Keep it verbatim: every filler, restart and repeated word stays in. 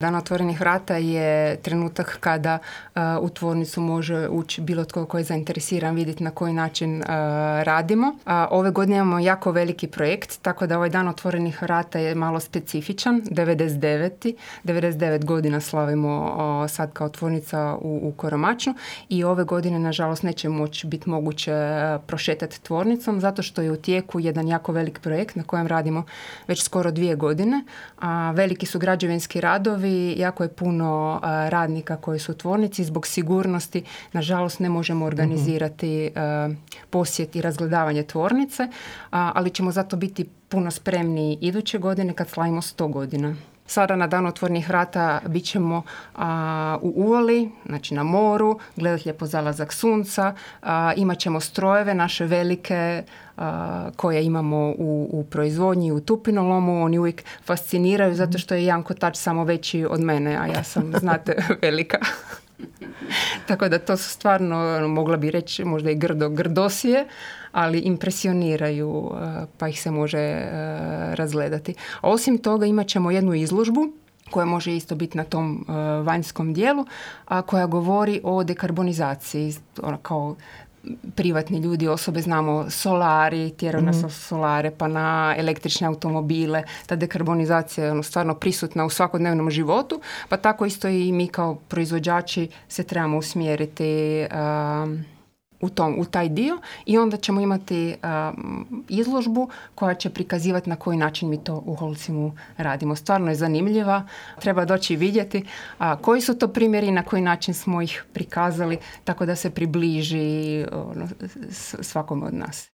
Dan otvorenih vrata je trenutak kada uh, u tvornicu može ući bilo tko koji je zainteresiran vidjeti na koji način uh, radimo. Uh, ove godine imamo jako veliki projekt, tako da ovaj dan otvorenih vrata je malo specifičan. devedeset deveti devedeset devet godina slavimo uh, sad kao tvornica u, u Koromačnu i ove godine nažalost neće moći biti moguće uh, prošetati tvornicom zato što je u tijeku jedan jako velik projekt na kojem radimo već skoro dvije godine. A veliki su građevinski radovi. Jako je puno uh, radnika koji su u tvornici. Zbog sigurnosti, nažalost, ne možemo organizirati uh, posjet i razgledavanje tvornice, uh, ali ćemo zato biti puno spremniji iduće godine kad slavimo sto godina. Sada na dan otvorenih vrata bit ćemo a, u uvali, znači na moru, gledati lijepo zalazak sunca, a, imat ćemo strojeve naše velike a, koje imamo u, u proizvodnji, u tupinolomu. Oni uvijek fasciniraju zato što je jedan kotač samo veći od mene, a ja sam, znate, velika. Tako da to su stvarno, mogla bi reći, možda i grdo grdosije, ali impresioniraju, pa ih se može razgledati. A osim toga imat ćemo jednu izložbu koja može isto biti na tom vanjskom dijelu, a koja govori o dekarbonizaciji, ono kao privatni ljudi, osobe, znamo solari, tjeraju nas mm. solare, pa na električne automobile. Ta dekarbonizacija je ono stvarno prisutna u svakodnevnom životu, pa tako isto i mi kao proizvođači se trebamo usmjeriti um, u, tom, u taj dio i onda ćemo imati um, izložbu koja će prikazivati na koji način mi to u Holcimu radimo. Stvarno je zanimljiva, treba doći vidjeti a, koji su to primjeri i na koji način smo ih prikazali tako da se približi ono, svakom od nas.